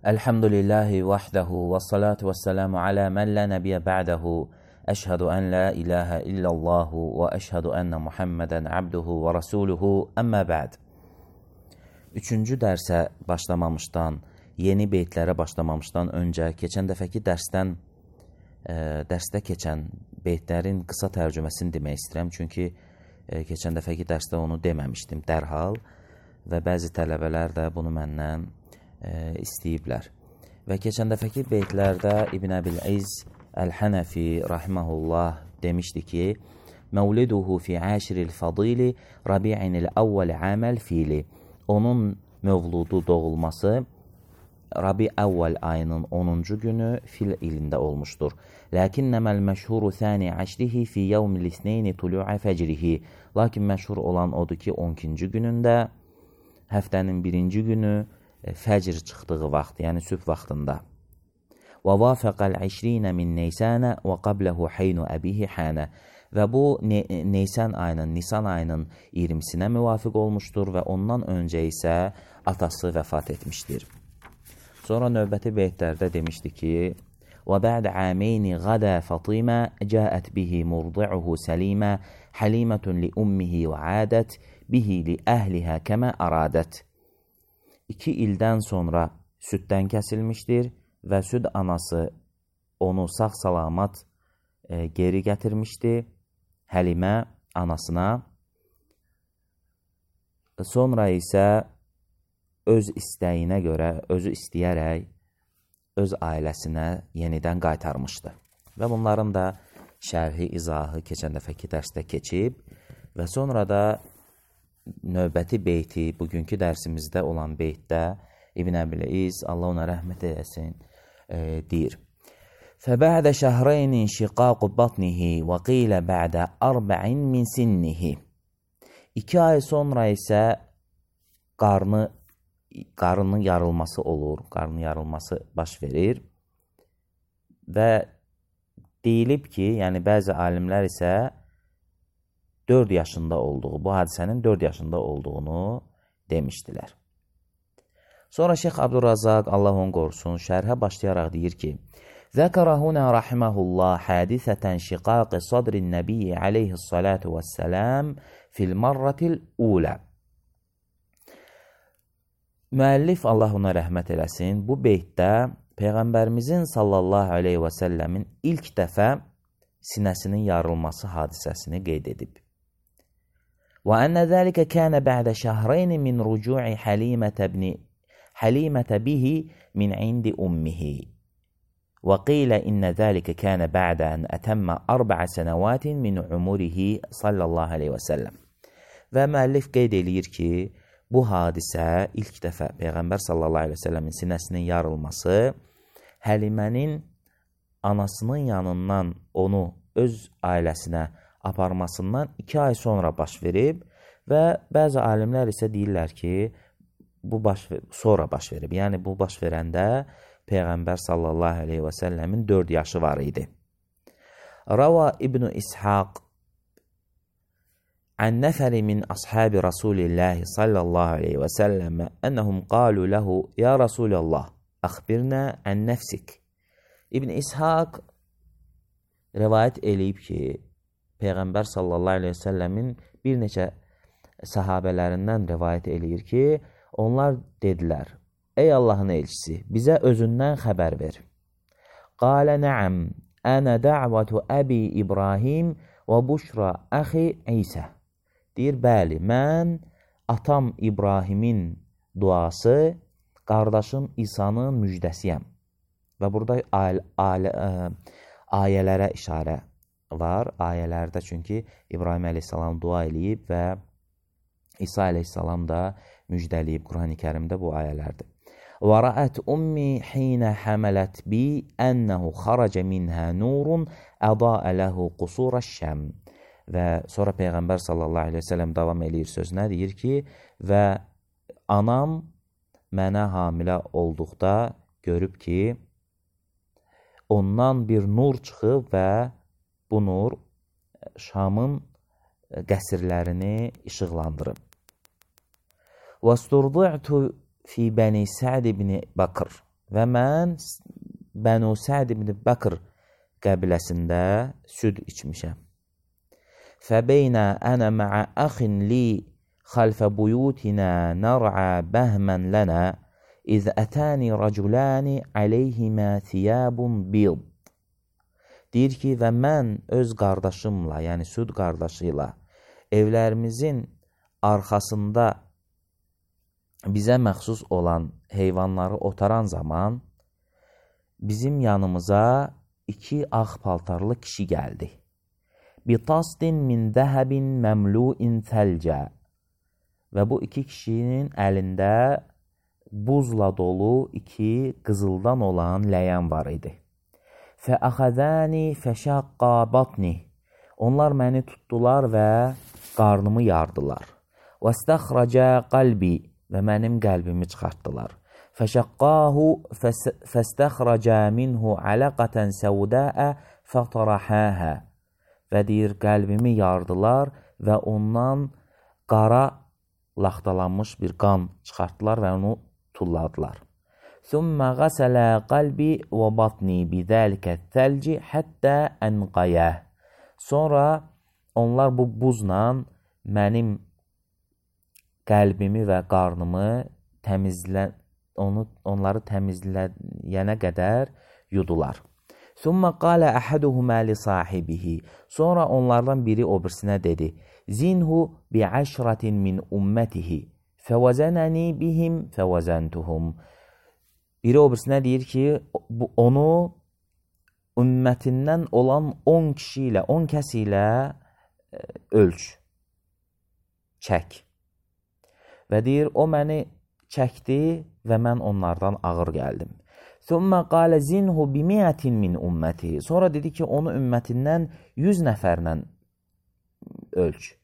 Elhamdülillahi vahdehu ve salatu ve selamu ala men la nebiye ba'dehu. Eşhedü en la ilahe illallahu ve eşhedü enne Muhammeden abduhu ve rasuluhu emmə ba'd. Üçüncü dərsə başlamamışdan, yeni beytlərə başlamamışdan öncə, keçən dəfəki dərsdə keçən beytlərin qısa tərcüməsini demək istəyirəm. Çünki keçən dəfəki dərsdə onu deməmişdim dərhal və bəzi tələbələr də bunu məndən istəyiblər. Və keçən dəfəki beytlərdə İbn Əbil-İz Əl-Hənəfi rahiməhullah demişdi ki, Məvliduhu fi əşril fadili Rabi'inil əvvəl əməl fili. Onun mövludu doğulması Rabi əvvəl ayının 10-cu günü fil ilində olmuşdur. Ləkinnəməl məşhuru thani əşrihi fi yevmil isneyni tulu'a fəcrihi. Lakin məşhur olan odur ki, 12-ci günündə, həftənin birinci günü fəcr çıxdığı vaxt, yəni sübh vaxtında. Və vafəqəl 20 min Neysanə və qabləhu heynu əbihi hənə. Və bu Nisan ayının 20-sinə müvafiq olmuşdur və ondan öncə isə atası vəfat etmişdir. Sonra növbəti beytlərdə demişdi ki, və bə'də əmeyni qədə Fatimə cəət bihi murdi'uhu səlimə həlimətun li ummihi və ədət bihi li əhlihə kəmə əradət. 2 ildən sonra süddən kəsilmişdir və süd anası onu sağ-salamat geri gətirmişdi Həlimə anasına. Sonra isə öz istəyinə görə, özü istəyərək öz ailəsinə yenidən qaytarmışdı. Və bunların da şərhi, izahı keçən dəfəki dərsdə keçib və sonra da növbəti beyti, bugünkü dərsimizdə olan beytdə İbn Əbil-İz, Allah ona rəhmət edəsin, deyir. فَبَعْدَ شَهْرَيْنِ شِقَاقُ بَطْنِهِ وَقِيلَ بَعْدَ أَرْبَعٍ مِنْ سِنِّهِ. 2 ay sonra isə qarnının yarılması olur, qarnının yarılması baş verir və deyilib ki, yəni bəzi alimlər isə 4 yaşında olduğu, bu hadisənin 4 yaşında olduğunu demişdilər. Sonra Şeyx Abdurrazaq, Allah onu qorusun, şərhə başlayaraq deyir ki, ذكر هنا رحمه الله حادثة شقاق صدر النبي عليه الصلاة والسلام في المرة الأولى. Müəllif Allah ona rəhmət eləsin, bu beytdə Peyğəmbərimizin sallallahu aleyhi və səlləmin ilk dəfə sinəsinin yarılması hadisəsini qeyd edib. وأن ذلك كان بعد شهرين من رجوع حليمة به من عند أمه. وقيل إن ذلك كان بعد أن أتم 4 سنوات من عمره صلى الله عليه وسلم. Və müəllif qeyd eləyir ki, bu hadisə ilk dəfə Peyğəmbər sallallahu aleyhi və səlləmin sinəsinin yarılması Həlimənin anasının yanından onu öz ailəsinə aparmasından 2 ay sonra baş verib və bəzi alimlər isə deyirlər ki, bu sonra baş verib. Yəni bu baş verəndə Peyğəmbər sallallahu aleyhi və səlləmin 4 yaşı var idi. Rava İbn İshaq an nəfəri min ashabi Rasulillahi sallallahu aleyhi və səlləmə ənəhum qalu ləhu ya Rasulallah, əxbirnə ən nəfsik. İbn İshaq rivayət eləyib ki, Peyğəmbər sallallahu aleyhi və səlləmin bir neçə sahabələrindən rivayət eləyir ki, onlar dedilər, ey Allahın elçisi, bizə özündən xəbər ver. Qalə nəəm, ənə də'vətu əbi İbrahim və buşra əxi İsə. Deyir, bəli, mən atam İbrahimin duası, qardaşım İsa'nın müjdəsiyəm. Və burada ayələrə işarə var. Ayələrdə çünki İbrahim əleyhissalam dua eləyib və İsa əleyhissalam da müjdəliyib. Qur'an-ı Kərimdə bu ayələrdir. وَرَأَتْ أُمِّي حِينَ حَمَلَتْ بِي أَنَّهُ خَرَجَ مِنْهَا نُورٌ أَضَاءَ لَهُ قُصُورَ الشَّمْ. Və sonra Peyğəmbər sallallahu aleyhi ve sellem davam eləyir sözünə, deyir ki, və anam mənə hamilə olduqda görüb ki, ondan bir nur çıxıb və bu nur Şamın qəsrlərini işıqlandırıb. وَاسْتُرْضِعْتُ fi Bəni Sə'd ibn Bakır. və mən Bənu Səd ibn Bəkr qəbiləsində süd içmişəm. Fəbeynə ənə mə'ə əxin li xalfə buyutinə nər'ə bəhmən lənə İz ətəni rəculəni əleyhimə thiyabun bid. Deyir ki, və mən öz qardaşımla, yəni süd qardaşıyla evlərimizin arxasında bizə məxsus olan heyvanları otaran zaman bizim yanımıza 2 ağ paltarlı kişi gəldi. Bitasdin min zəhəbin məmlu'in thəlcə. Və bu 2 kişinin əlində buzla dolu 2 qızıldan olan ləyən var idi. Fəəxəzəni fəşəqqa batni. Onlar məni tutdular və qarnımı yardılar. Vəstəxrəcə qalbi. Və mənim qəlbimi çıxartdılar. Fəşəqqahu fəstəxrəcə minhu ələqətən səudəə fətarəhəhə. Və deyir, qəlbimi yardılar və ondan qara laxtalanmış bir qan çıxartdılar və onu tulladılar. Thumma ghasala qalbi və batni bidəlikə thəlci həttə ənqayə. Sonra onlar bu buzla mənim qəlbimi və qarnımı onları təmizləyənə qədər yudular. Thumma qalə əhəduhumə li sahibihi. Sonra onlardan biri o birisinə dedi. Zinhu bi'əşratin min ümmətihi. Fəvəzənəni bihim fəvəzəntuhum. Biri o birisinə deyir ki, onu ümmətindən olan 10 kişi ilə, 10 kəs ilə ölç, çək. Və deyir, o məni çəkdi və mən onlardan ağır gəldim. Thumma qalə zinhu bimiətin min ümməti. Sonra dedi ki, onu ümmətindən 100 nəfərlə ölç.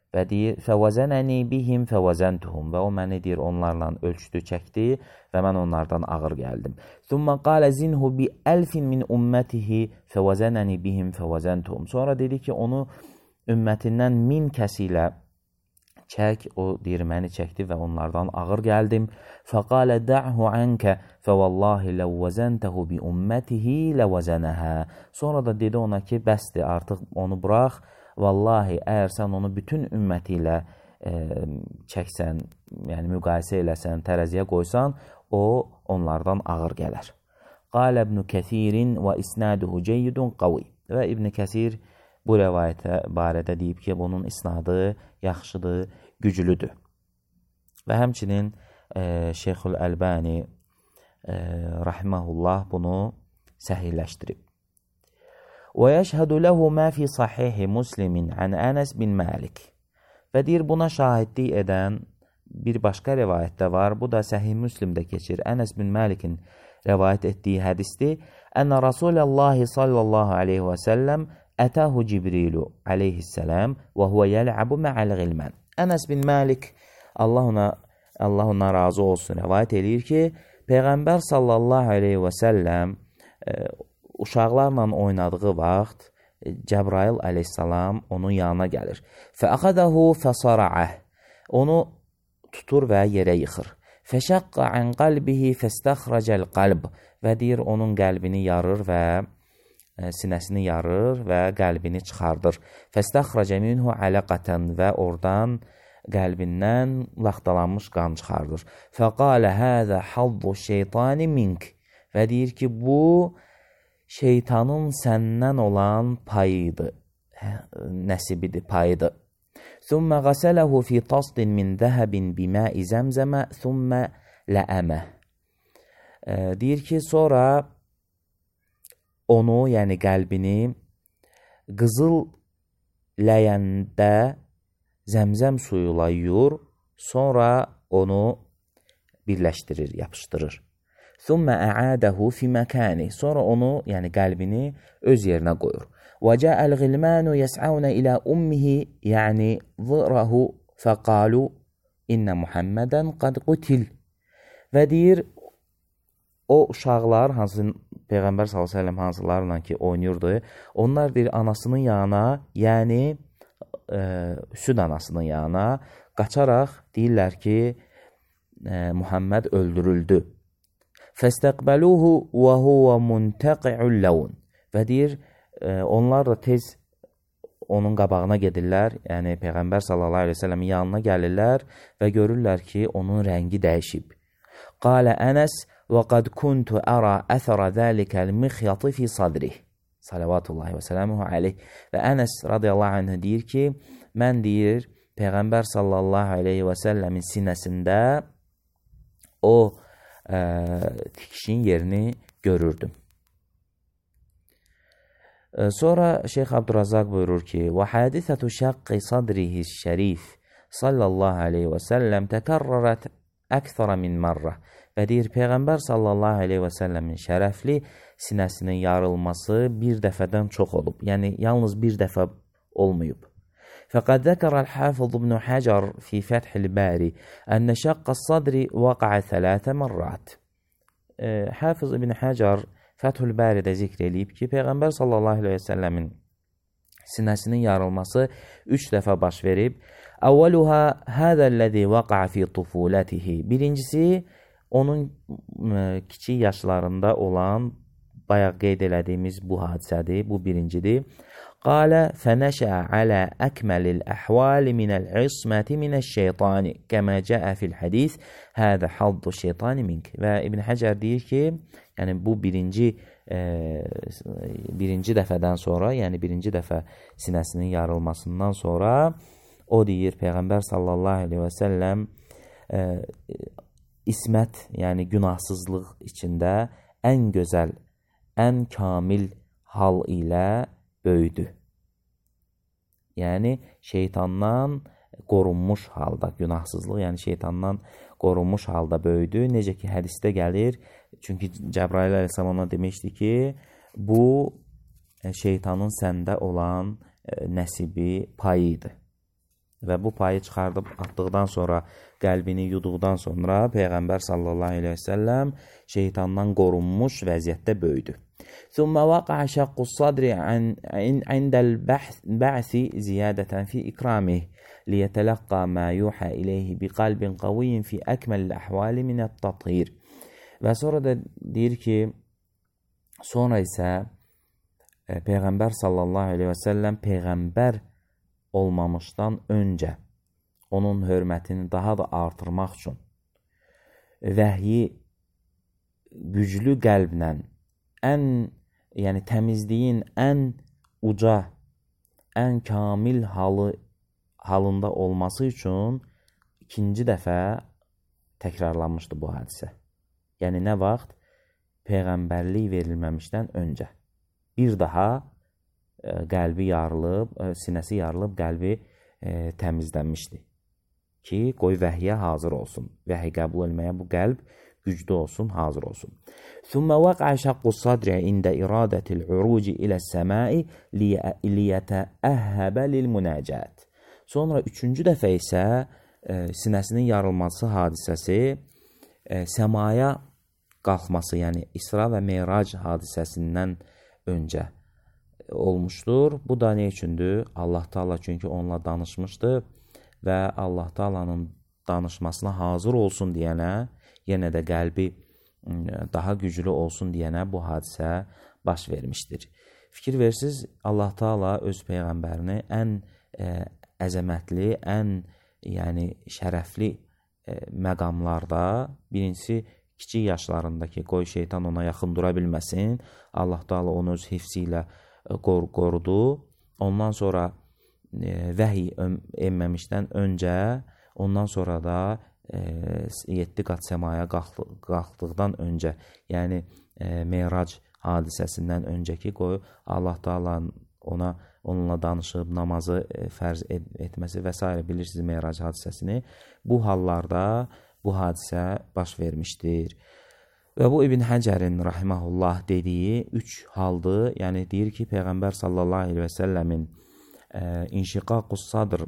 Və deyir, fəvəzənəni bihim fəvəzəntuhum. Və o məni deyir, onlarla ölçdü, çəkdi və mən onlardan ağır gəldim. Thumma qalə zinhu bi əlfin min ümmətihi fəvəzənəni bihim fəvəzəntuhum. Sonra dedi ki, onu ümmətindən 1000 kəs ilə çək, o deyir, məni çəkdi və onlardan ağır gəldim. Fəqalə də'hu ənkə fəvallahi ləvvəzəntəhu bi ümmətihi ləvvəzənəhə. Sonra da dedi ona ki, bəsdir, artıq onu burax. Vallahi, əgər sən onu bütün ümməti ilə çəksən, yəni müqayisə eləsən, tərəziyə qoysan, o onlardan ağır gələr. Qalə İbn Kəsirin və isnaduhu ceyyidun qavi. Və İbn Kəsir bu rəvayətə barədə deyib ki, bunun isnadı yaxşıdır, güclüdür. Və həmçinin Şeyxül Əlbani rahiməhullah bunu səhihləşdirib. Və yəşhədu ləhu mə fi sahihi Muslimin ən Ənəs bin Məlik. Və deyir, buna şahidlik edən bir başqa rəvayətdə var. Bu da Səhih Müslimdə keçir. Ənəs bin Məlikin rəvayət etdiyi hədisdir. Ənə Rasuləllahi sallallahu aleyhi və səlləm ətəhu Cibrilu aleyhissələm və huvə yəl'əbu mə'əl qilmən. Ənəs bin Məlik, Allah ona razı olsun, rəvayət edir ki, Peyğəmbər sallallahu aleyhi və səlləm uşaqlarla oynadığı vaxt Cəbrail aleyhissalam onun yanına gəlir. Fəəxədəhu fəsara'əh. Onu tutur və yerə yıxır. Fəşəqqa ən qalbihi fəstəxrəcəl qalb. Və deyir, onun qəlbini yarır və sinəsini yarır və qəlbini çıxardır. Fəstəxrəcə minhu ələqətən. Və oradan qəlbindən laxtalanmış qan çıxardır. Fəqalə həzə haddu şeytani mink. Və deyir ki, bu şeytanın səndən olan payıdır, nəsibidir, payıdır. Thumma qasələhu fi tasdin min zəhəbin bimə'i zəmzəmə thumma ləəmə. Deyir ki, sonra onu, yəni qəlbini qızıl ləyəndə zəmzəm suyuyla yuyur, sonra onu birləşdirir, yapışdırır. Thumma a'adahu fi makani. Sonra onu, yəni qəlbini öz yerinə qoyur. Və ca'al ghilmanu yas'auna ila ummihi, yəni zirahu faqalu inna Muhammadan qad qutil. Və deyir, o uşaqlar, hansı Peyğəmbər sallallahu əleyhi və səlləm hansılarla ki oynayırdı, onlar deyir anasının yanına, yəni süd anasının yanına qaçaraq deyirlər ki, Muhammed öldürüldü. Fəstəqbəluhu və huwa muntaqi'ul lawn. Və deyir, onlar da tez onun qabağına gedirlər, yəni Peyğəmbər sallallahu əleyhi və səlləmin yanına gəlirlər və görürlər ki, onun rəngi dəyişib. Qalə Ənəs və qad kuntu ara əthara zəlikəl mixyatı fi sadrih. Salavatullahi və sələmuhu aleyh. Və Ənəs radiyallahu anh deyir ki, mən deyir, Peyğəmbər sallallahu aleyhi və səlləmin sinəsində o tikişin yerini görürdüm. Sonra Şeyx Abdurrazaq buyurur ki, وَحَادِثَةُ شَقِّ صَدْرِهِ الشَّرِيفِ sallallahu aleyhi və səlləm təkərrərət əksara min marrə. Və deyir, Peyğəmbər sallallahu aleyhi və səlləmin şərəfli sinəsinin yarılması bir dəfədən çox olub. Yəni, yalnız bir dəfə olmayıb. فَقَدْ ذَكَرَ الْحَافِظُ بْنُ حَجَرْ فِي فَتْحِ الْبَارِ أَنَّ شَقَّ الصَّدْرِ وَقَعَ ثَلَاثَ مَرَّاتٍ. Hafiz İbn Hacar Fəthül Bəridə zikr eləyib ki, Peyğəmbər sallallahu aleyhi və səlləmin sinəsinin yarılması 3 dəfə baş verib. Əvvəluhə hədəlləzi vəqə fi tufulətihi. Birincisi, onun kiçik yaşlarında olan, bayaq qeyd elədiyimiz bu hadisədir, bu birincidir. Qalə fənəşə alə əkməlil əhvali minəl isməti minəş-şeytani kəmə cəə fil hədis hədə haddu şeytani mink. Və İbn Həcər deyir ki, yəni bu birinci dəfədən sonra, yəni birinci dəfə sinəsinin yarılmasından sonra o deyir, Peyğəmbər sallallahu aleyhi və səlləm ismət, yəni günahsızlıq içində ən gözəl, ən kamil hal ilə böyüdü. Yəni şeytandan qorunmuş halda, günahsızlıq, yəni şeytandan qorunmuş halda böyüdü. Necə ki, hədisdə gəlir, çünki Cəbrail əleyhissalam ona demişdi ki, bu şeytanın səndə olan nəsibi, payıdır. Və bu payı çıxardıb atdıqdan sonra, qəlbini yuduqdan sonra Peyğəmbər sallallahu aleyhi və səlləm şeytandan qorunmuş vəziyyətdə böyüdü. ثم وقع شق الصدر عند البعث زيادة في إكرامه ليتلقى ما يوحى إليه بقلب قوي في أكمل الأحوال من التطهير. Və sonra da deyir ki, sonra isə Peyğəmbər sallallahu aleyhi və səlləm Peyğəmbər olmamışdan öncə onun hörmətini daha da artırmaq üçün vəhyi güclü qəlblə yəni təmizliyin ən uca, ən kamil halında olması üçün ikinci dəfə təkrarlanmışdı bu hadisə. Yəni nə vaxt? Peyğəmbərlik verilməmişdən öncə. Bir daha qəlbi yarılıb, sinəsi yarılıb, qəlbi təmizlənmişdi. Ki, qoy vəhyə hazır olsun. Vəhiy qəbul etməyə bu qəlb güclü olsun, hazır olsun. ثم وقع شق الصدر عند إرادة العروج إلى السماء ليتأهب للمناجات. Sonra üçüncü dəfə isə sinəsinin yarılması hadisəsi səmaya qalxması, yəni İsra və Meyrac hadisəsindən öncə olmuşdur. Bu da nə üçündür? Allah Taala çünki onunla danışmışdı və Allah Taala'nın danışmasına hazır olsun deyənə, yenə də qəlbi daha güclü olsun deyənə bu hadisə baş vermişdir. Fikir versiniz, Allah Taala öz Peyğəmbərini ən əzəmətli, ən şərəfli məqamlarda, birincisi kiçik yaşlarındakı, qoy şeytan ona yaxın dura bilməsin, Allah Taala onu öz hifzi ilə qorudu. Ondan sonra vəhiy enməmişdən öncə, ondan sonra da 7 qat səmaya qalxdıqdan öncə, yəni Meyrac hadisəsindən öncəki qoy Allah Taala onunla danışıb namazı fərz etməsi və s. bilirsiniz Meyrac hadisəsini. Bu hallarda bu hadisə baş vermişdir. Və bu İbn Həcərin rahiməhullah dediyi 3 haldır. Yəni deyir ki, Peyğəmbər sallallahu aleyhi və səlləmin inşiqaqus sadr,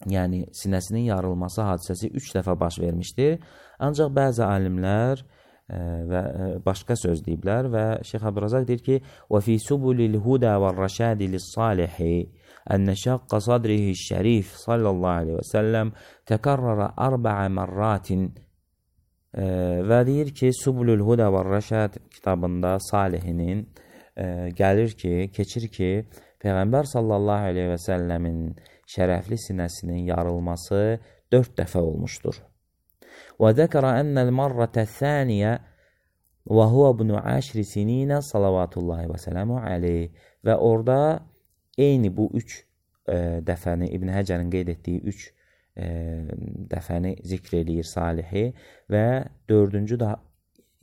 yəni sinəsinin yarılması hadisəsi 3 dəfə baş vermişdir. Ancaq bəzi alimlər və başqa söz deyiblər və Şeyx Abdurrazaq deyir ki, وَفِي سُبُلِ الْهُدَى وَالرَّشَادِ لِلصَّالِحِ أَنَّ شَقَّ صَدْرِهِ الشَّرِيفِ صلى الله عليه وسلم تكرر 4 مرات Və deyir ki, Subulul Huda və Rəşad kitabında Salihinin gəlir ki, keçir ki, Peyğəmbər sallallahu aleyhi və səlləmin şərəfli sinəsinin yarılması 4 dəfə olmuşdur. Və zəkərə ənəl marrətə thəniyə və huvə bunu 10 sininə salavatullahi və sələmu aleyh. Və orada eyni bu 3 dəfəni, İbn Həcərin qeyd etdiyi 3 dəfəni zikr eləyir Salihi və 4-cü də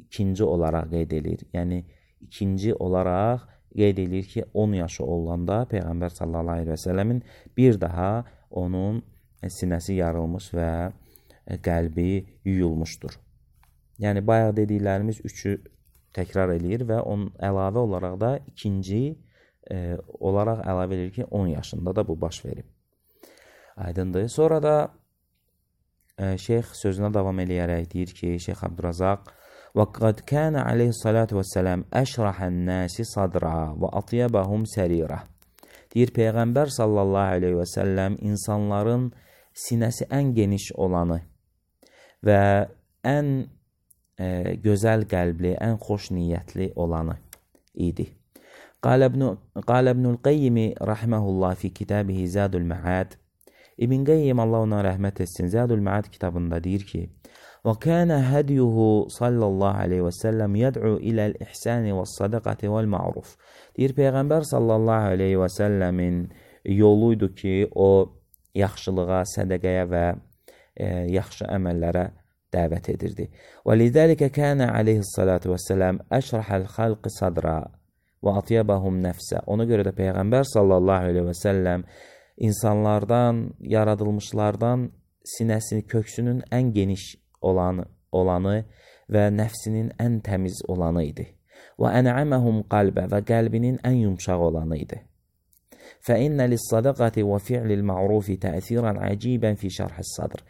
ikinci olaraq qeyd edir. Yəni, ikinci olaraq qeyd edir ki, 10 yaşı olanda Peyğəmbər sallallahu aleyhi və səlləmin bir daha onun sinəsi yarılmış və qəlbi yuyulmuşdur. Yəni, bayaq dediklərimiz 3-ü təkrar eləyir və onun əlavə olaraq da ikinci olaraq əlavə edir ki, 10 yaşında da bu baş verib. Aydındır. Sonra da şeyx sözünə davam eləyərək deyir ki, Şeyx Abdurazaq وَقَدْ كَانَ عَلَيْهِ الصَّلَاةُ وَالسَّلَامُ أَشْرَحَ النَّاسِ صَدْرًا وَأَطْيَبَهُمْ سَرِيرًا. Deyir, Peyğəmbər sallallahu aleyhi və səlləm insanların sinəsi ən geniş olanı və ən gözəl qəlbli, ən xoş niyyətli olanı idi. قال ابن القيم رحمه الله في كتابه زاد المعاد. İbn Qeyyim Allah ona rəhmət etsin, Zadul Ma'ad kitabında deyir ki: وَكَانَ هَدْيُهُ صَلَّى اللّٰهُ عَلَيْهِ وَسَلَّمْ يَدْعُو إِلَى الْإِحْسَانِ وَالصَّدَقَةِ وَالْمَعْرُفِ. Deyir, Peyğəmbər sallallahu aleyhi və səlləmin yoluydu ki, o yaxşılığa, sədəqəyə və yaxşı əməllərə dəvət edirdi. وَلِذَلِكَ كَانَ عَلَيْهِ الصَّلَاةُ وَالسَّلَامُ أَشْرَحَ الْخَلْقِ صَدْرًا وَأَطْيَبَهُمْ نَفْسًا. Ona görə də Peyğəmbər sallallahu aleyhi və səlləm insanlardan, yaradılmışlardan sinəsini, köksünün ən geniş olanı və nəfsinin ən təmiz olanı idi. Və ən'aməhum qalbə və qəlbinin ən yumşaq olanı idi. Fəinnə lis-sadaqati və fi'lil ma'rufi təsiran əcibən fi şərhis sadr.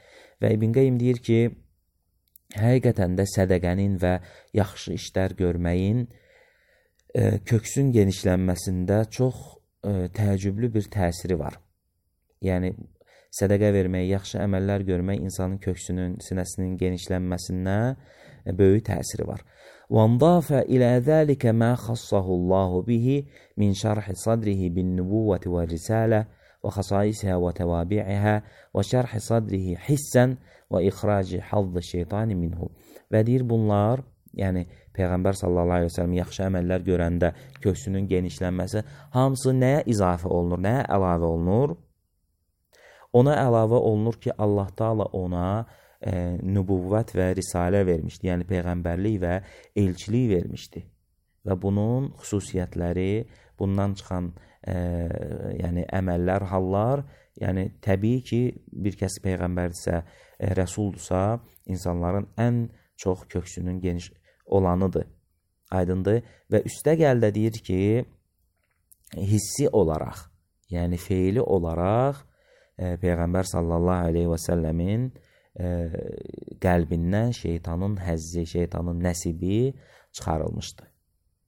Və İbn Qeym deyir ki, həqiqətən də sədəqənin və yaxşı işlər görməyin köksün genişlənməsində çox təəccüblü bir təsiri var. Yəni, sədəqə vermək, yaxşı əməllər görmək insanın köksünün, sinəsinin genişlənməsinə böyük təsiri var. وَانْضَافَ إِلَى ذَلِكَ مَا خَصَّهُ اللّٰهُ بِهِ مِنْ شَرْحِ صَدْرِهِ بِالنُّبُوَّةِ وَالرِّسَالَةِ وَخَصَائِصِهَا وَتَوَابِعِهَا وَشَرْحِ صَدْرِهِ حِسًّا وَإِخْرَاجِ حَظِّ الشَّيْطَانِ مِنْهُ. Və deyir, bunlar, yəni Peyğəmbər sallallahu aleyhi ve sellem yaxşı əməllər görəndə köksünün genişlənməsi hamısı nəyə izafə olunur, nəyə əlavə olunur? Ona əlavə olunur ki, Allah Taala ona nübüvvət və risalə vermişdi, yəni Peyğəmbərlik və elçilik vermişdi. Və bunun xüsusiyyətləri, bundan çıxan yəni əməllər, hallar, yəni təbii ki, bir kəs Peyğəmbərdirsə, rəsuldursa, insanların ən çox köksünün geniş olanıdır, aydındır. Və üstə gəldə deyir ki, hissi olaraq, yəni feili olaraq Peyğəmbər sallallahu aleyhi və səlləmin qəlbindən şeytanın həzzi, şeytanın nəsibi çıxarılmışdı.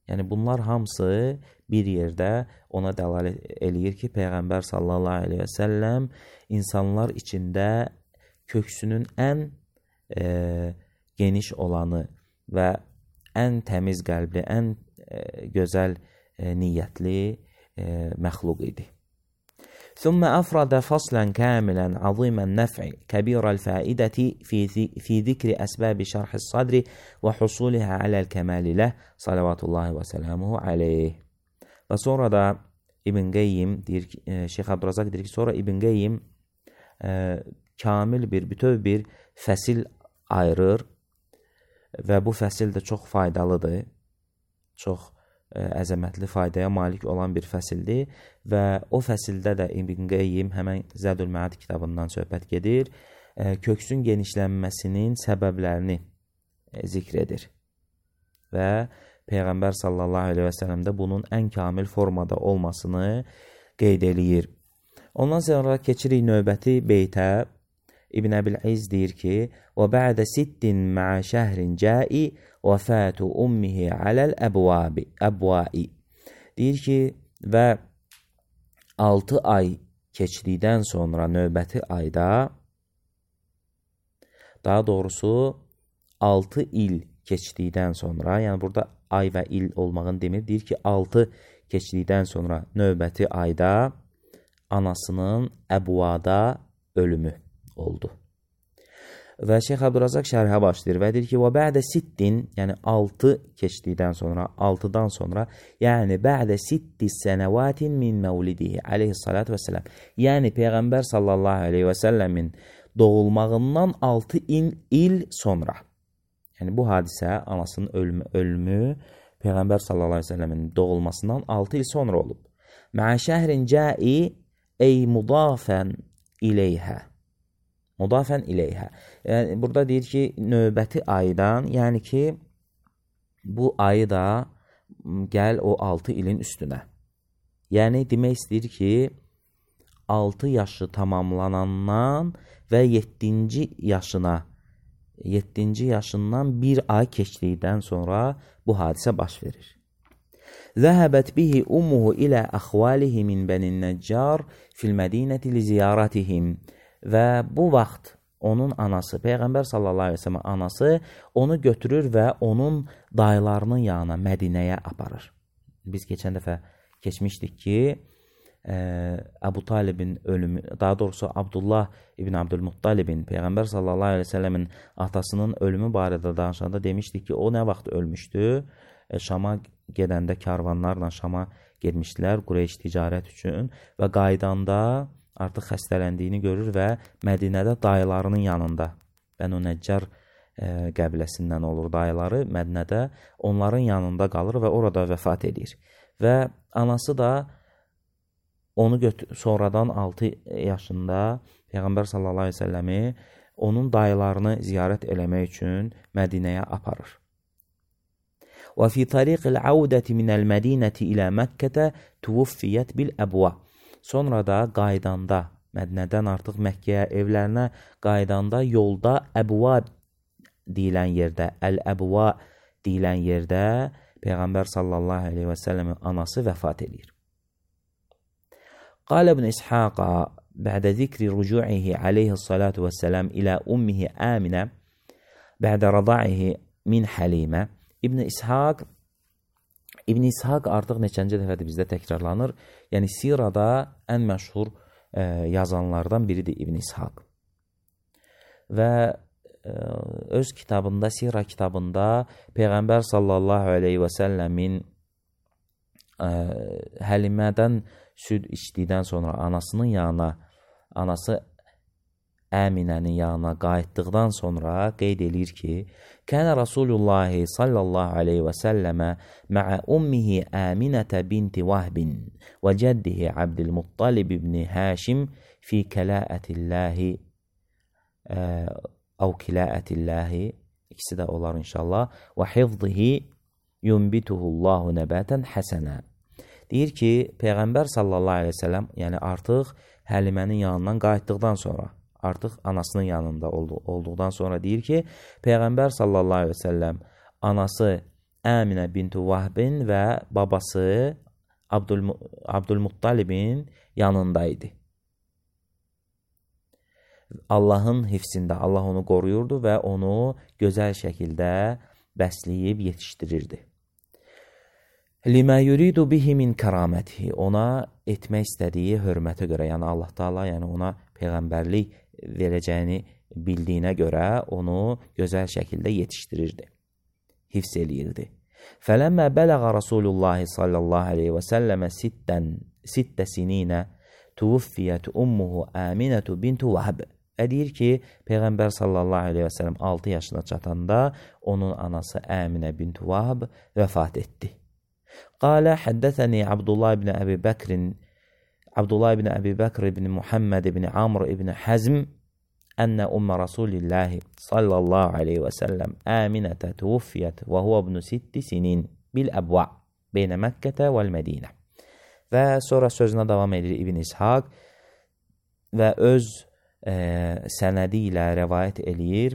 Yəni bunlar hamısı bir yerdə ona dəlalət eləyir ki, Peyğəmbər sallallahu aleyhi və səlləm insanlar içində köksünün ən geniş olanı və ən təmiz qəlbli, ən gözəl niyyətli məxluq idi. ثم أفرد فصلا كاملا عظيم النفع كبير الفائدة في ذكر أسباب شرح الصدر وحصولها على الكمال له صلوات الله وسلامه عليه. Və sonra da İbn Qeyyim deyir ki, Şeyx Abdurazaq deyir ki, sonra İbn Qeyyim kamil bir, bütöv bir fəsil ayırır və bu fəsil də çox faydalıdır, çox əzəmətli faydaya malik olan bir fəsildir və o fəsildə də İbn Qeyyim həmən Zadul Ma'ad kitabından söhbət gedir, köksün genişlənməsinin səbəblərini zikr edir və Peyğəmbər sallallahu aleyhi və səlləmdə bunun ən kamil formada olmasını qeyd eləyir. Ondan sonra keçirik növbəti beytə. İbn Əbil-İz deyir ki, وَبَعْدَ سِتٍّ مَعَ شَهْرٍ جَاءِ وَفَاتُ أُمِّهِ عَلَى الْأَبْوَاءِ. Deyir ki, və 6 ay keçdikdən sonra növbəti ayda, daha doğrusu 6 il keçdikdən sonra, yəni burada ay və il olmağını demir, deyir ki, 6 keçdikdən sonra növbəti ayda anasının Əbvada ölümü oldu. Və Şeyx Abdurrazaq şərhə başlayır və deyir ki, və bə'də sittin, yəni 6 keçdikdən sonra, 6-dan sonra, yəni bə'də sitti sənəvatin min məvlidihi aleyhissalatu vesselam. Yəni Peyğəmbər sallallahu aleyhi və səlləmin doğulmağından 6 il sonra. Yəni bu hadisə, anasının ölümü Peyğəmbər sallallahu aleyhi və səlləmin doğulmasından 6 il sonra olub. Mə'ə şəhrin cəi ey mudafən ileyhə. Mudafən ileyhə. Yəni, burada deyir ki, növbəti aydan, yəni ki, bu ayı da gəl o 6 ilin üstünə. Yəni, demək istəyir ki, 6 yaşı tamamlanandan və 7-ci yaşından bir ay keçdikdən sonra bu hadisə baş verir. Zəhəbət bihi ummuhu ilə əxvalihi min bənin nəccar fil mədinəti li ziyaratihim. Və bu vaxt onun anası, Peyğəmbər sallallahu aleyhi ve sellem anası onu götürür və onun dayılarının yanına Mədinəyə aparır. Biz keçən dəfə keçmişdik ki, Əbu Talibin ölümü, daha doğrusu Abdullah ibn Abdülmuttalibin Peyğəmbər sallallahu aleyhi ve sellemin atasının ölümü barədə danışanda demişdik ki, o nə vaxt ölmüşdü? Şama gedəndə karvanlarla Şama getmişdilər Qureyş ticarət üçün və qaydanda artıq xəstələndiyini görür və Mədinədə dayılarının yanında, Bənu Nəccar qəbiləsindən olur dayıları, Mədinədə onların yanında qalır və orada vəfat edir. Və anası da onu sonradan 6 yaşında Peyğəmbər sallallahu aleyhi ve səlləmi onun dayılarını ziyarət eləmək üçün Mədinəyə aparır. Və fi tariqil avdəti minəl mədinəti ilə Məkkətə tuvufiyyət bil əbva. Sonra da qaydanda, Mədinədən artıq Məkkəyə evlərinə qaydanda yolda Əbva deyilən yerdə, Əl-Əbva deyilən yerdə Peyğəmbər sallallahu aleyhi və səlləmin anası vəfat edir. Qalə ibn İshaqa bə'də zikri rücu'ihi aleyhissalatu vəssəlam ilə ummihi Əminə bə'də rada'ihi min Həlimə. İbn İshaq artıq neçənci dəfədir bizdə təkrarlanır. Yəni sirada ən məşhur yazanlardan biridir İbn İshaq. Və öz kitabında, sira kitabında Peyğəmbər sallallahu aleyhi və səlləmin Həlimədən süd içdikdən sonra anasının yanına, anası Əminənin yanına qayıtdıqdan sonra qeyd edir ki, Kənə Rasulullah sallallahu aleyhi və səlləmə mə'ə ummihi Əminətə binti Vahbin və cəddihi Abdülmuttalib ibn Həşim fi kələətilləhi əv kiləətilləhi, ikisi də olar inşallah, və hifzihi yumbituhullahu nəbətən həsənə. Deyir ki, Peyğəmbər sallallahu aleyhi və səlləm, yəni artıq Həlimənin yanından qayıtdıqdan sonra, artıq anasının yanında olduqdan sonra deyir ki, Peyğəmbər sallallahu aleyhi və səlləm anası Əminə bintu Vahbin və babası Abdülmuttalibin yanındaydı. Allahın hifzində, Allah onu qoruyurdu və onu gözəl şəkildə bəsləyib yetişdirirdi. Limə yuridu bihi min kəramətihi, ona etmək istədiyi hörmətə görə, yəni Allah Taala, yəni ona peyğəmbərlik verəcəyini bildiyinə görə onu gözəl şəkildə yetişdirirdi, hifz eləyirdi. Fələmmə bələğə Rasulullah sallallahu aleyhi və səlləmə sittə sininə tuvufiyyət ummuhu Əminətü bintu Vahb. Deyir ki, Peyğəmbər sallallahu aleyhi və səlləm 6 yaşına çatanda onun anası Əminə bintu Vahb vəfat etdi. Qalə həddəthəni Abdullah ibn Əbi Bəkr ibn Muhammed ibn Amr ibn Həzm ənə ümmə Rasulillahi sallallahu aleyhi və səlləm Əminətə tuvufiyyət və huvə ibn 6 sinin bil əbva beynə Məkkətə vəl-Mədinə. Və sonra sözünə davam edir İbn İshaq və öz sənədi ilə rəvayət eləyir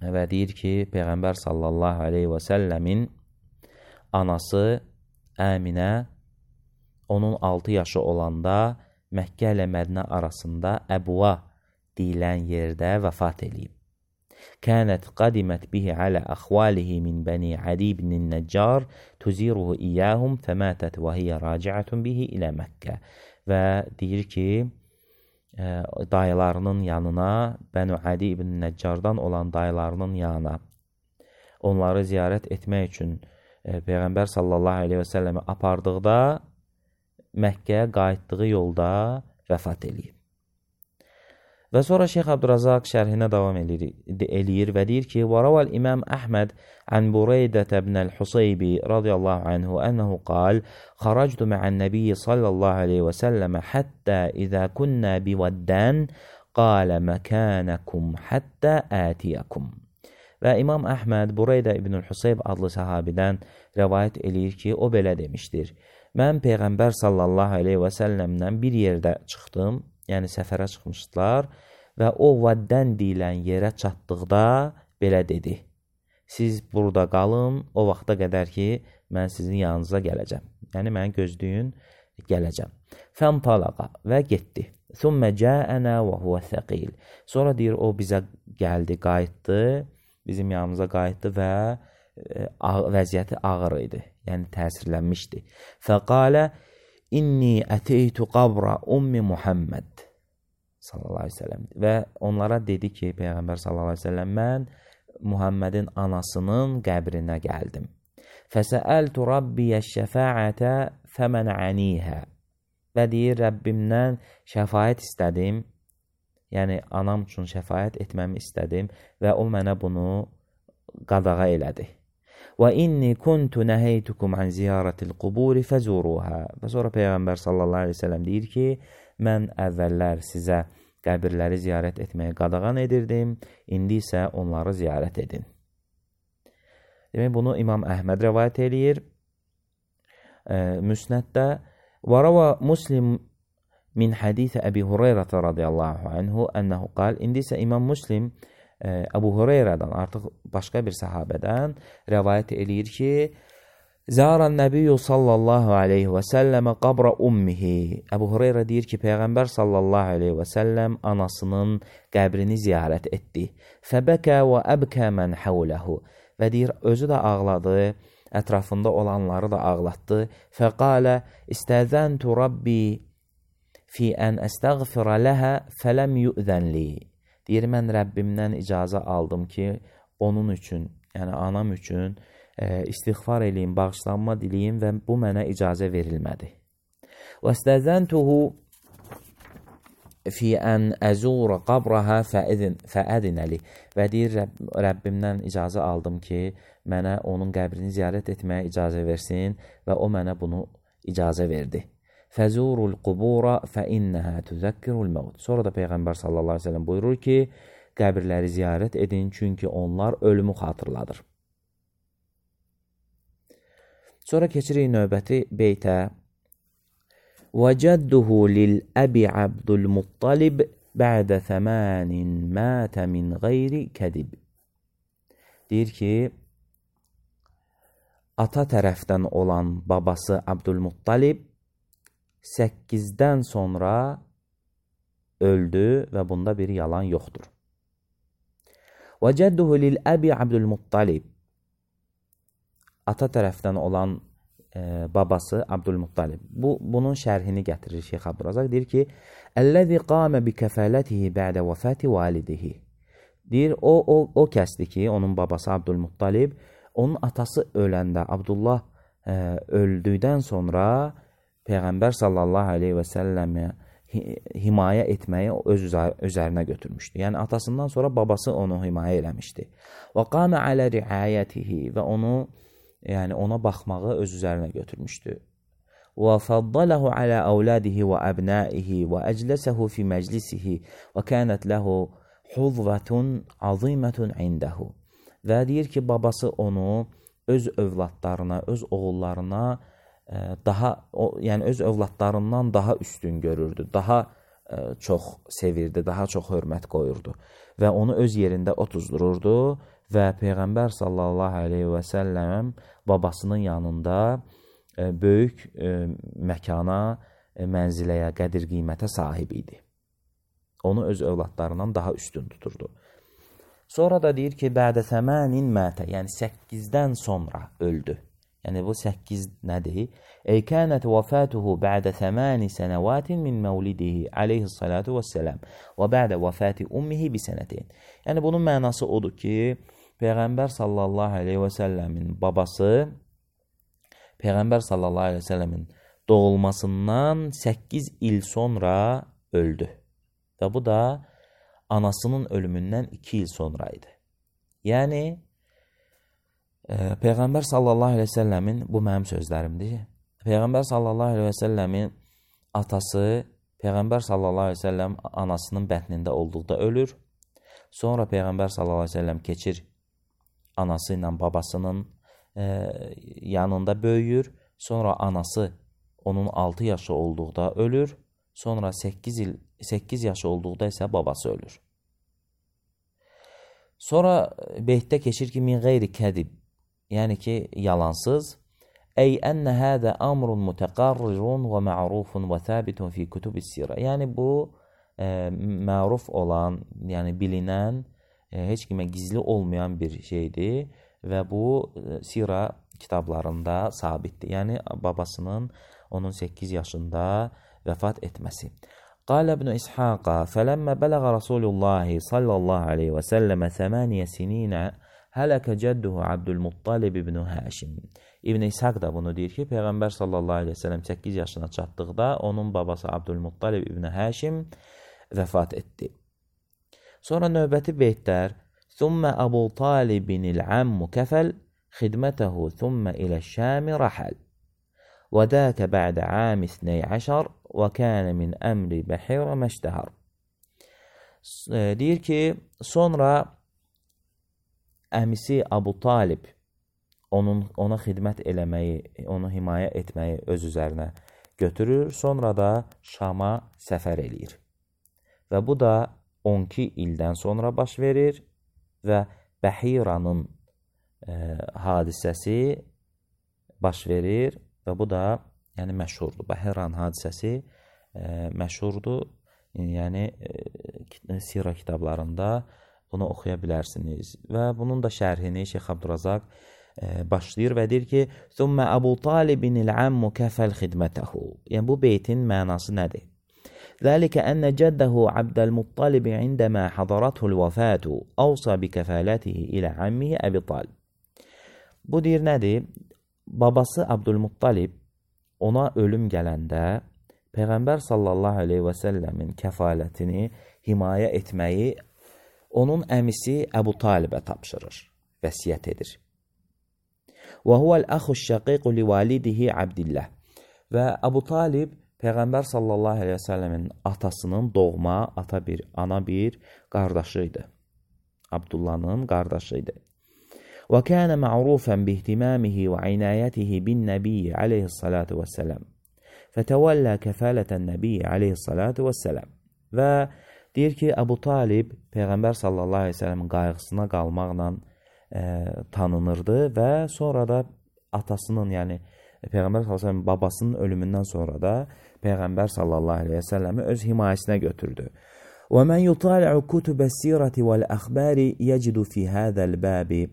və deyir ki, Peyğəmbər sallallahu aleyhi və səlləmin anası Əminə onun 6 yaşı olanda Məkkə ilə Mədinə arasında Əbva deyilən yerdə vəfat eləyib. كانت قدمت به على أخواله من بني عدي بن النجار تزيره إياهم فماتت وهي راجعة به إلى Məkkə. Və deyir ki, dayılarının yanına, Bənu Adi ibn Nəccardan olan dayılarının yanına onları ziyarət etmək üçün Peyğəmbər sallallahu aleyhi və səlləmi apardıqda Məkkəyə qayıtdığı yolda vəfat eləyib. Və sonra Şeyx Abdurazaq şərhinə davam eləyir və deyir ki, وَرَوَى الإمام أحمد عن بريدة بن الحصيب رضي الله عنه أنه قال خرجت مع النبي صلى الله عليه وسلم حتى إذا كنا بودان قال مكانكم حتى آتيكم. Və İmam Əhməd Bureydə ibn Husayb adlı sahabidən rəvayət eləyir ki, o belə demişdir. Mən Peyğəmbər sallallahu aleyhi və səlləmdən bir yerdə çıxdım, yəni səfərə çıxmışdılar və o Vaddən deyilən yerə çatdıqda belə dedi. Siz burada qalın, o vaxta qədər ki, mən sizin yanınıza gələcəm. Yəni, mən gözləyin, gələcəm. Fəntalaqa və getdi. Thumma cəənə və huvə thəqil. Sonra deyir, o bizə gəldi, qayıtdı, bizim yanımıza qayıtdı və vəziyyəti ağır idi, yəni təsirlənmişdi. Fəqalə İnni əteytu qabra ummi Muhammed sallallahu aleyhi ve sellem. Və onlara dedi ki, Peyğəmbər sallallahu aleyhi ve sellem, mən Muhammedin anasının qəbrinə gəldim. Fəsəəltu rabbiyə şəfəətə fəmənənihə. Və deyir, Rəbbimdən şəfayət istədim, yəni anam üçün şəfayət etməmi istədim və o mənə bunu qadağa elədi. Və inni kuntu nəhəytukum an ziyarətil quburi fəzuruhə. Və sonra Peyğəmbər sallallahu aleyhi ve sellem deyir ki, mən əvvəllər sizə qəbirləri ziyarət etməyi qadağan edirdim, indi isə onları ziyarət edin. Demək, bunu İmam Əhməd rəvayət eləyir. Müsnəddə وَرَوَى Muslim min hədisi Əbi Hüreyrətə radiyallahu anhu ənəhu qal. İndi isə İmam Muslim Əbu Hüreyrədən, artıq başqa bir səhabədən rəvayət eləyir ki, Zəran Nəbiyyü sallallahu aleyhi və səlləmə qabra ummihi. Əbu Hüreyrə deyir ki, Peyğəmbər sallallahu aleyhi və səlləm anasının qəbrini ziyarət etdi. Fəbəkə və əbkə mən həvləhu. Və deyir, özü də ağladı, ətrafında olanları da ağlatdı. Fəqalə istəzəntu Rabbi fi ən əstəğfirə ləhə fələm yu'zənli. Deyir, mən Rəbbimdən icazə aldım ki, onun üçün, yəni anam üçün istiğfar eləyim, bağışlanma diləyim və bu mənə icazə verilmədi. Və istəzəntuhu fi ən əzura qabrahə fəədinəli. Və deyir, Rəbbimdən icazə aldım ki, mənə onun qəbrini ziyarət etməyə icazə versin və o mənə bunu icazə verdi. Fəzurul qubura fəinnəhə tüzəkkirul məvd. Sonra da Peyğəmbər sallallahu aleyhi ve sellem buyurur ki, qəbirləri ziyarət edin, çünki onlar ölümü xatırladır. Sonra keçirik növbəti beytə. وَجَدُّهُ لِلْأَبِ عَبْدُ الْمُطَّلِبِ بَعْدَ ثَمَانٍ مَاتَ مِنْ غَيْرِ كَدِبِ. Deyir ki, ata tərəfdən olan babası Abdülmuttalib 8-dən sonra öldü və bunda bir yalan yoxdur. وَجَدُّهُ لِلْأَبِ عَبْدُ الْمُطَّلِبِ. Ata tərəfdən olan babası Abdülmuttalib. Bunun şərhini gətirir Şeyx Abdurazaq. Deyir ki, Əl-ləzi qamə bi kəfələtihi bə'də vəfəti validihi. Deyir, o kəsdir ki, onun babası Abdülmuttalib, onun atası öləndə, Abdullah öldükdən sonra Peyğəmbər sallallahu aleyhi və səlləmə himayə etməyi öz üzərinə götürmüşdü. Yəni, atasından sonra babası onu himayə eləmişdi. Və qamə alə riayətihi və onu, yəni ona baxmağı öz üzərinə götürmüşdü. Və fəddələhu alə əvlədihi və əbnəihi və əcləsəhu fi məclisihi və kənət ləhu huzvətun azimətun indəhu. Və deyir ki, babası onu öz övladlarına, öz oğullarına yəni öz övladlarından daha üstün görürdü, daha çox sevirdi, daha çox hörmət qoyurdu və onu öz yerində otuzdururdu və Peyğəmbər sallallahu aleyhi və səlləm babasının yanında böyük məkana, mənziləyə, qədir qiymətə sahib idi. Onu öz övladlarından daha üstün tuturdu. Sonra da deyir ki, bədə səmənin mətə, yəni 8-dən sonra öldü. Yəni bu 8 nədir? Ey kənət vəfatuhu bədə 8 sənəvatin min məvlidihi aleyhissalatu vəssələm və bədə vəfati ummihi bi sənətin. Yəni bunun mənası odur ki, Peyğəmbər sallallahu aleyhi və səlləmin babası Peyğəmbər sallallahu aleyhi və səlləmin doğulmasından 8 il sonra öldü. Və bu da anasının ölümündən 2 il sonra idi. Yəni, Peyğəmbər sallallahu aleyhi və səlləmin, bu mənim sözlərimdir, Peyğəmbər sallallahu aleyhi və səlləmin atası, Peyğəmbər sallallahu aleyhi və səlləm anasının bətnində olduqda ölür. Sonra Peyğəmbər sallallahu aleyhi və səlləm keçir anası ilə babasının yanında böyüyür. Sonra anası onun 6 yaşı olduqda ölür. Sonra 8 yaşı olduqda isə babası ölür. Sonra beytdə keçir ki, min qeyri kədib, yəni ki, yalansız. Ey ənə hədə əmrun mütəqarrirun və ma'rufun və thəbitun fi kütüb-i sirə. Yəni bu, məruf olan, yəni bilinən, heç kimə gizli olmayan bir şeydir və bu sirə kitablarında sabitdir. Yəni babasının onun 8 yaşında vəfat etməsi. Qalə ibn İshaqa fələmmə bələğə Rasulullahi sallallahu aleyhi və səlləmə 8 sininə hələkə cədduhu Abdülmuttalib ibn Həşim. İbn İshaq da bunu deyir ki, Peyğəmbər sallallahu aleyhi və səlləm 8 yaşına çatdıqda onun babası Abdülmuttalib ibn Həşim vəfat etdi. Sonra növbəti beytlər Thumma Abu Talibinil ammu kəfəl xidmətəhu thumma ilə Şəmi rəhəl və dəkə bə'də ami 12 və kənə min əmri bəhirə məştəhər. Deyir ki, sonra əmisi Abu Talib ona xidmət eləməyi, onu himayə etməyi öz üzərinə götürür, sonra da Şama səfər eləyir. Və bu da 12 ildən sonra baş verir və Bəhiranın hadisəsi baş verir və bu da yəni məşhurdur. Bəhiran hadisəsi məşhurdur. Yəni sirə kitablarında bunu oxuya bilərsiniz. Və bunun da şərhini Şeyx Abdurazaq başlayır və deyir ki, Thumma Abu Talibinil ammu kəfəl xidmətəhu. Yəni bu beytin mənası nədir? Zəlikə ənə cəddəhu Abdəlmuttalibi indəmə hadarathu'l vəfatu avsa bi kəfələtihi ilə ammihi Əbi Talib. Bu deyir nədir? Babası Abdülmuttalib ona ölüm gələndə Peyğəmbər sallallahu aleyhi və səlləmin kəfalətini himayə etməyi onun əmisi Əbu Talibə tapşırır, vəsiyyət edir. Və huvəl əxuş şəqiqu li validihi Abdillah. Və Əbu Talib Peyğəmbər sallallahu aleyhi və səlləmin atasının doğma, ana bir qardaşıydı. Abdullahın qardaşıydı. Və kənə mə'rufən bihtimamihi və inayətihi bin nəbiyyə aleyhissalatu vəssələm. Fətəvəllə kəfələtən nəbiyyə aleyhissalatu vəssələm. Və deyir ki, Əbu Talib Peyğəmbər sallallahu aleyhi və səlləmin qayğısına qalmaqla tanınırdı və sonra da atasının, yəni Peyğəmbər sallallahu aleyhi və səlləmin babasının ölümündən sonra da Peyğəmbər sallallahu aleyhi və səlləmi öz himayəsinə götürdü. Və mən yutali'u kutubəs-sirəti vəl-əxbari yəcidu fi hədəl bəbi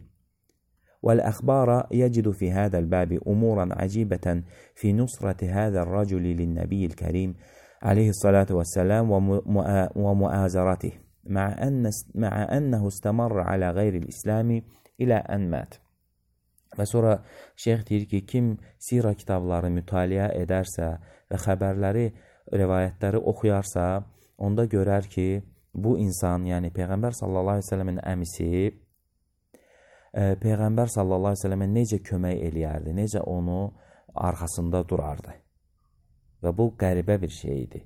والأخبار يجد في هذا الباب أمورا عجيبة في نصرة هذا الرجل للنبي الكريم عليه الصلاة والسلام ومؤازرته مع أنه استمر على غير الإسلام إلى أن مات. Və sonra şeyx deyir ki, kim sirə kitabları mütaliə edərsə və xəbərləri, rivayətləri oxuyarsa, onda görər ki, bu insan, yəni Peyğəmbər sallallahu aleyhi ve səlləmin əmisi, Peyğəmbər sallallahu aleyhi ve səlləmə necə kömək eləyərdi, necə onu arxasında durardı. Və bu qəribə bir şey idi.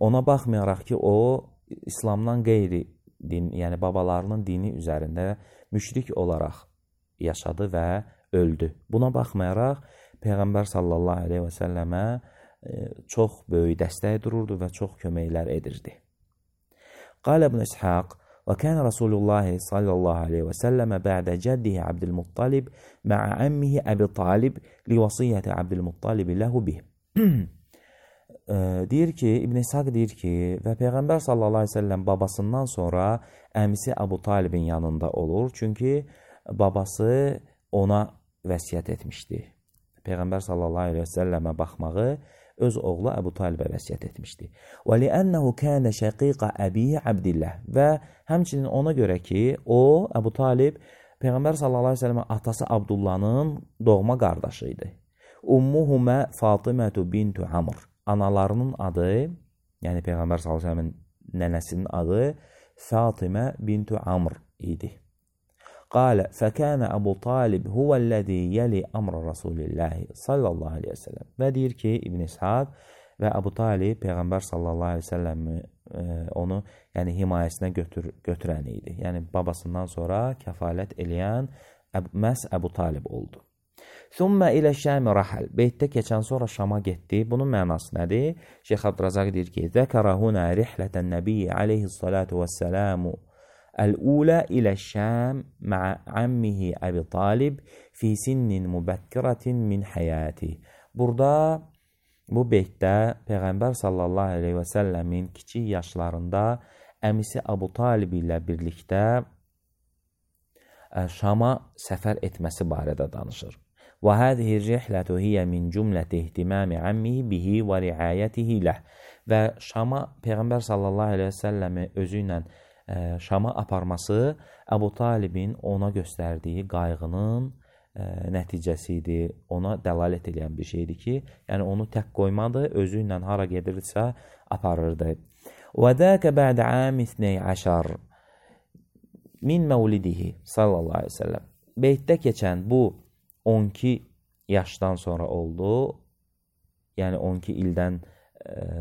Ona baxmayaraq ki, o İslamdan qeyri din, yəni babalarının dini üzərində müşrik olaraq yaşadı və öldü. Buna baxmayaraq Peyğəmbər sallallahu aleyhi və səlləmə çox böyük dəstək dururdu və çox köməklər edirdi. Qalə ibn İshaq وكان رسول الله صلى الله عليه وسلم بعد جده عبد المطلب مع عمه أبي طالب لوصية عبد المطلب له به. deyir ki, İbn İshaq deyir ki, və Peyğəmbər sallallahu əleyhi və səlləm babasından sonra əmisi Əbu Talibin yanında olur. Çünki babası ona vəsiyyət etmişdi. Peyğəmbər sallallahu əleyhi və səlləmə baxmağı öz oğlu Əbu Talibə vəsiyyət etmişdi. Və li'annahu kana shaqiqa Əbi Abdillah və həmçinin ona görə ki, o Əbu Talib Peyğəmbər sallallahu əleyhi və səlləmin atası Abdullahın doğma qardaşı idi. Ummuhuma Fatimatu bintu Amr. Analarının adı, yəni Peyğəmbər sallallahu əleyhi və səlləmin nənəsinin adı Fatimə bintu Amr idi. Qala fəkana Əbu Talib huvəl-ləzi yəli əmr Rasulillahi sallallahu aleyhi və səlləm. Və deyir ki, İbn İshaq və Əbu Talib Peyğəmbər sallallahu aleyhi və səlləm onu yəni himayəsinə götürən idi. Yəni babasından sonra kəfalət eləyən məhz Əbu Talib oldu. Thumma ilə Şəmi rahal. Beytdə keçən sonra Şama getdi. Bunun mənası nədir? Şeyx Abdurrazaq deyir ki, zəkara huna rihlətən nəbiyyə aleyhissalatu vəssəlamu الأولى إلى الشام مع عمه أبي طالب في سن مبكرة من حياته. Burada bu beytdə Peyğəmbər sallallahu aleyhi və səlləmin kiçik yaşlarında əmisi Əbu Talib ilə birlikdə Şama səfər etməsi barədə danışır. Və hadihi rihlətu hiyə min cümləti ihtimami ammihi bihi və riayətihi ləh. Və Şama Peyğəmbər sallallahu aleyhi və səlləmi özü ilə Şama aparması Əbu Talibin ona göstərdiyi qayğının nəticəsi idi. Ona dəlalət edən bir şeydir ki, yəni onu tək qoymadı, özü ilə hara gedirsə aparırdı. Və dəkə bə'də ami 12 min məvlidihi sallallahu aleyhi ve sellem. Beytdə keçən bu 12 yaşdan sonra oldu, yəni 12 ildən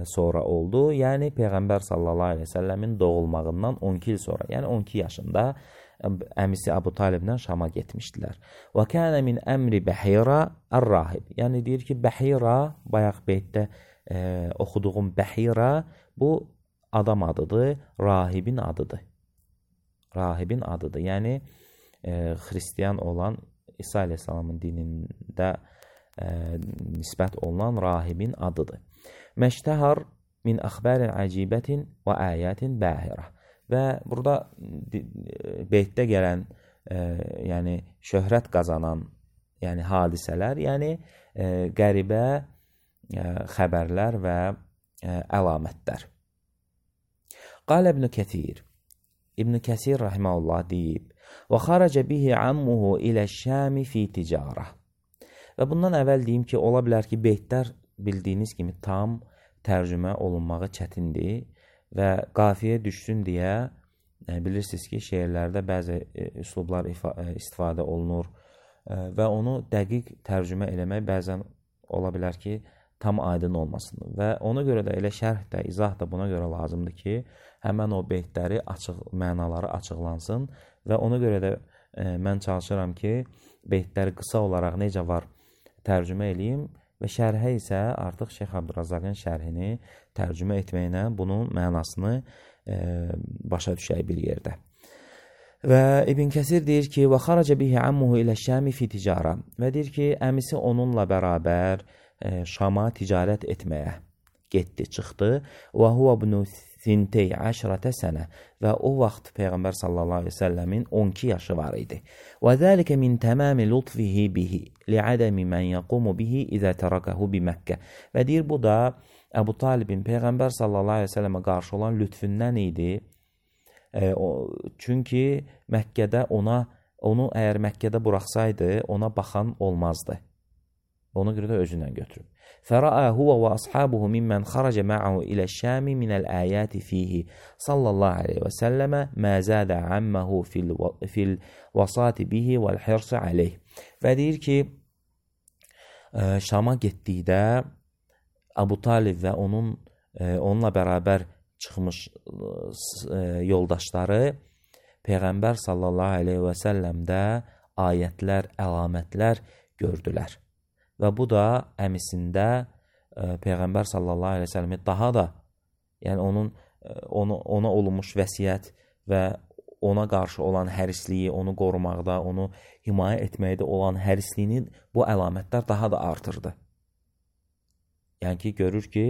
sonra oldu. Yəni Peyğəmbər sallallahu aleyhi ve səlləmin doğulmağından 12 il sonra, yəni 12 yaşında əmisi Əbu Taliblə Şama getmişdilər. Və kənə min əmri Bəhira ər-rahib. Yəni deyir ki, Bəhira, bayaq beytdə oxuduğum Bəhira bu adam adıdır, rahibin adıdır. Rahibin adıdır. Yəni xristiyan olan İsa aleyhissalamın dinində nisbət olunan rahibin adıdır. Məştəhar min əxbərin əcibətin və əyətin bəhirə. Və burada beytdə gələn yəni şöhrət qazanan yəni hadisələr, yəni qəribə xəbərlər və əlamətlər. Qal İbn Kəthir. İbn Kəsir rahimehullah deyib: "Və xaraca bihi ammuhu ilə Şami fi ticarə." Və bundan əvvəl deyim ki, ola bilər ki, beytlər bildiyiniz kimi tam tərcümə olunmağı çətindir və qafiyə düşsün deyə bilirsiniz ki, şeirlərdə bəzi üslublar istifadə olunur və onu dəqiq tərcümə eləmək bəzən ola bilər ki, tam aydın olmasın. Və ona görə də elə şərh də, izah da buna görə lazımdır ki, həmən o beytləri mənaları açıqlansın və ona görə də mən çalışıram ki, beytləri qısa olaraq necə var tərcümə eləyim və şərhə isə artıq Şeyx Abdurrazaqın şərhini tərcümə etməklə bunun mənasını başa düşək bir yerdə. Və İbn Kəsir deyir ki, və xaraca bihi ammuhu ilə Şami fi ticara. Və deyir ki, əmisi onunla bərabər Şama ticarət etməyə getdi, çıxdı. Və huva ibn 12 sənə. Və o vaxt Peyğəmbər sallallahu aleyhi ve səlləmin 12 yaşı var idi. Və zəlikə min təmami lutfihi bihi li'adəmi mən yaqumu bihi izə tərəkəhu bi Məkkə. Və deyir, bu da Əbu Talibin Peyğəmbər sallallahu aleyhi ve səlləmə qarşı olan lütfündən idi. Çünki Məkkədə onu əgər Məkkədə buraxsaydı, ona baxan olmazdı. Ona görə də özündən götürüb. فَرَأَى هُوَ وَأَصْحَابُهُ مِمَّنْ خَرَجَ مَعَهُ إِلَى الشَّامِ مِنَ الْآيَاتِ فِيهِ صَلَّى اللّٰهُ عَلَيْهِ وَسَلَّمَ مَا زَادَ عَمَّهُ فِي الْوَصَاتِ بِهِ وَالْحِرْصِ عَلَيْهِ. Və deyir ki, Şama getdikdə Əbu Talib və onunla bərabər çıxmış yoldaşları Peyğəmbər sallallahu aleyhi və səlləmdə ayətlər, əlamətlər gördülər. Və bu da əmisində Peyğəmbər sallallahu aleyhi və səlləmi daha da, yəni ona olunmuş vəsiyyət və ona qarşı olan hərisliyi, onu qorumaqda, onu himayə etməkdə olan hərisliyinin bu əlamətlər daha da artırdı. Yəni ki, görür ki,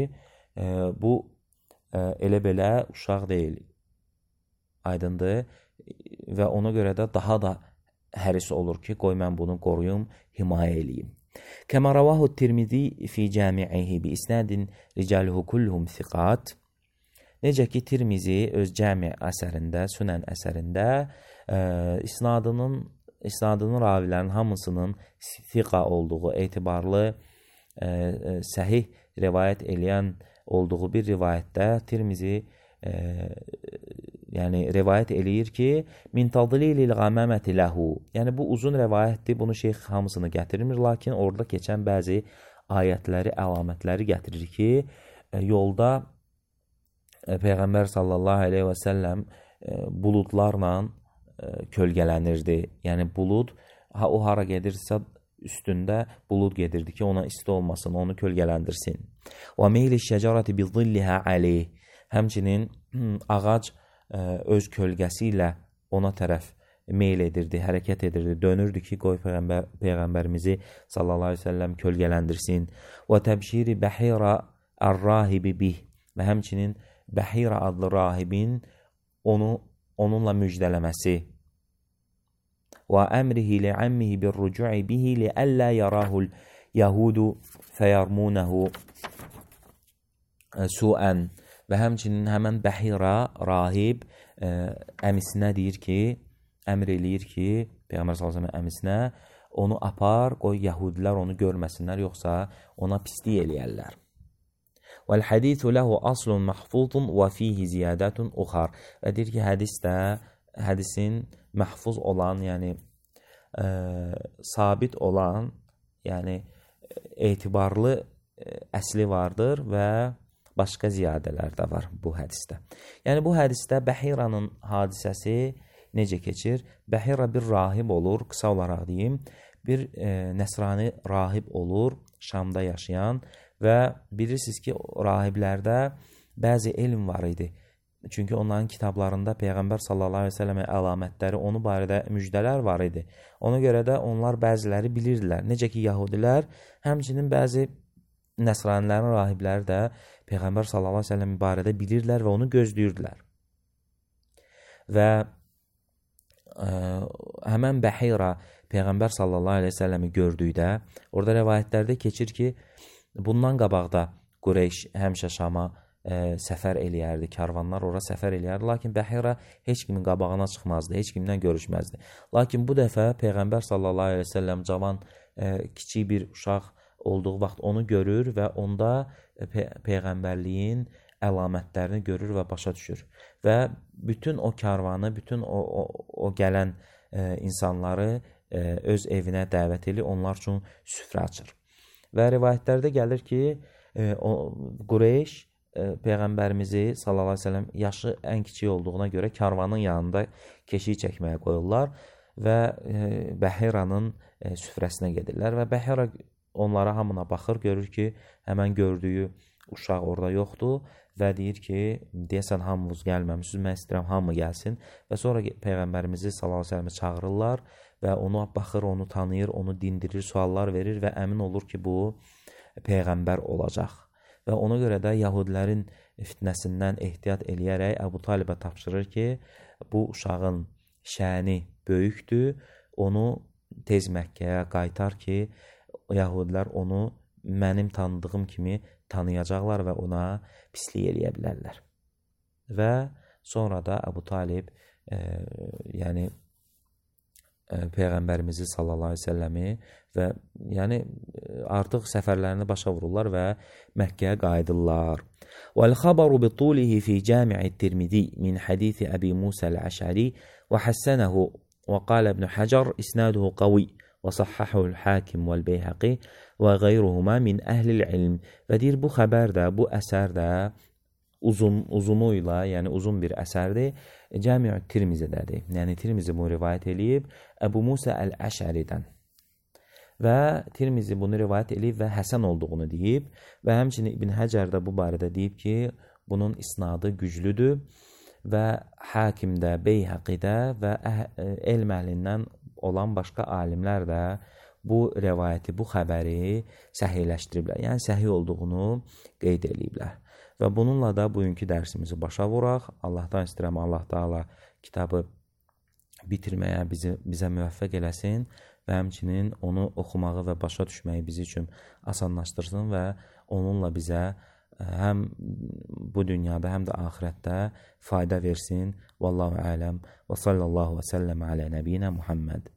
bu elə belə uşaq deyil. Aydındır və ona görə də daha da həris olur ki, qoy mən bunu qoruyum, himayə eləyim. Kəmə rəvahu Tirmizi fi cəmi'ihi bi isnadin ricaluhu kulluhum thiqat. Necə ki, Tirmizi öz cəmi əsərində, Sünən əsərində isnadının ravilərin hamısının thiqa olduğu, etibarlı, səhih rivayət eləyən olduğu bir rivayətdə Tirmizi yəni rivayət eləyir ki, min tadlilil qamaməti ləhu. Yəni bu uzun rivayətdir, bunu şeyx hamısını gətirmir, lakin orada keçən bəzi ayətləri, əlamətləri gətirir ki, yolda Peyğəmbər sallallahu aleyhi və səlləm buludlarla kölgələnirdi. Yəni bulud, o hara gedirsə üstündə bulud gedirdi ki, ona isti olmasın, onu kölgələndirsin. Və meyli şəcarəti bi zillihə aleyh. Həmçinin ağac öz kölgəsi ilə ona tərəf meyl edirdi, hərəkət edirdi, dönürdü ki, qoy Peyğəmbərimizi sallallahu aleyhi ve sellem kölgələndirsin. Və təbşiri bəhira ər-rahibi bih. Və həmçinin Bəhira adlı rahibin onunla müjdələməsi. Və əmrihi li'ammihi bir-rucu'i bihi li'əllə yarahul yahudu fəyarmunəhu su'ən. Və həmçinin həmən Bəhira rahib əmisinə deyir ki, əmr eləyir ki, Peyğəmbər sallallahu əleyhi və səlləm əmisinə onu apar, qoy yəhudilər onu görməsinlər, yoxsa ona pislik eləyərlər. Vəl-hədithu ləhu aslun məhfuzun və fihi ziyadətun uxar. Və deyir ki, hədisin məhfuz olan, yəni sabit olan, yəni etibarlı əsli vardır və başqa ziyadələr də var bu hədisdə. Yəni bu hədisdə Bəhiranın hadisəsi necə keçir? Bəhira bir rahib olur, qısa olaraq deyim, bir nəsrani rahib olur, Şamda yaşayan və bilirsiniz ki, rahiblərdə bəzi elm var idi. Çünki onların kitablarında Peyğəmbər sallallahu aleyhi ve səlləmə əlamətləri, onu barədə müjdələr var idi. Ona görə də onlar bəziləri bilirdilər. Necə ki, yahudilər, həmçinin bəzi nəsranilərin rahibləri də Peyğəmbər sallallahu aleyhi ve səlləm barədə bilirdilər və onu gözləyirdilər. Və həmən Bəhira Peyğəmbər sallallahu aleyhi ve səlləmi gördükdə, orada rəvayətlərdə keçir ki, bundan qabaqda Qureyş həmişə Şama səfər eləyərdi, karvanlar ora səfər eləyərdi, lakin Bəhira heç kimin qabağına çıxmazdı, heç kimlə görüşməzdi. Lakin bu dəfə Peyğəmbər sallallahu aleyhi ve səlləm cavan, kiçik bir uşaq olduğu vaxt onu görür və onda Peyğəmbərliyin əlamətlərini görür və başa düşür. Və bütün o karvanı, bütün o gələn insanları öz evinə dəvət edir, onlar üçün süfrə açır. Və rivayətlərdə gəlir ki, Qureyş Peyğəmbərimizi sallallahu aleyhi ve sellem yaşı ən kiçik olduğuna görə karvanın yanında keşik çəkməyə qoyurlar və Bəhiranın süfrəsinə gedirlər və Bəhira onlara hamına baxır, görür ki, həmən gördüyü uşaq orada yoxdur və deyir ki, deyəsən hamımız gəlməmişsiniz, mən istəyirəm hamı gəlsin və sonra Peyğəmbərimizi sallallahu aleyhi ve sellemə çağırırlar və onu baxır, onu tanıyır, onu dindirir, suallar verir və əmin olur ki, bu Peyğəmbər olacaq. Və ona görə də yahudilərin fitnəsindən ehtiyat eləyərək Əbu Talibə tapşırır ki, bu uşağın şəni böyükdür, onu tez Məkkəyə qaytar ki, yahudilər onu mənim tanıdığım kimi tanıyacaqlar və ona pislik eləyə bilərlər. Və sonra da Əbu Talib yəni Peyğəmbərimizi sallallahu aleyhi ve səlləmi və yəni artıq səfərlərini başa vururlar və Məkkəyə qayıdırlar. Vəl-xabaru bitulihi fi cəmi'i Tirmizi min hadithi Əbi Musa el-Əş'ari və həssənəhu və qal İbn Hacar isnaduhu qavi və sahhahu el-Hakim vəl-Beyhaqi və qeyruhuma min əhlil ilm. Və deyir, bu xəbər də, bu əsər də uzunuyla, yəni uzun bir əsərdir, Cəmi' Tirmizidədir. Yəni Tirmizi bunu rivayət eləyib Əbu Musa el-Əş'əridən. Və Tirmizi bunu rivayət eləyib və həsən olduğunu deyib və həmçinin İbn Həcər də bu barədə deyib ki, bunun isnadı güclüdür və Hakimdə, Beyhaqidə və elm əhlindən olan başqa alimlər də bu rivayəti, bu xəbəri səhihləşdiriblər. Yəni səhih olduğunu qeyd eləyiblər. Və bununla da bugünkü dərsimizi başa vuraq. Allahdan istəyirəm, Allah Taala kitabı bitirməyə bizə müvəffəq eləsin və həmçinin onu oxumağı və başa düşməyi bizim üçün asanlaşdırsın və onunla bizə həm bu dünyada, həm də axirətdə fayda versin. Vallahu ələm və sallallahu və səlləm alə nəbiyinə Muhammed.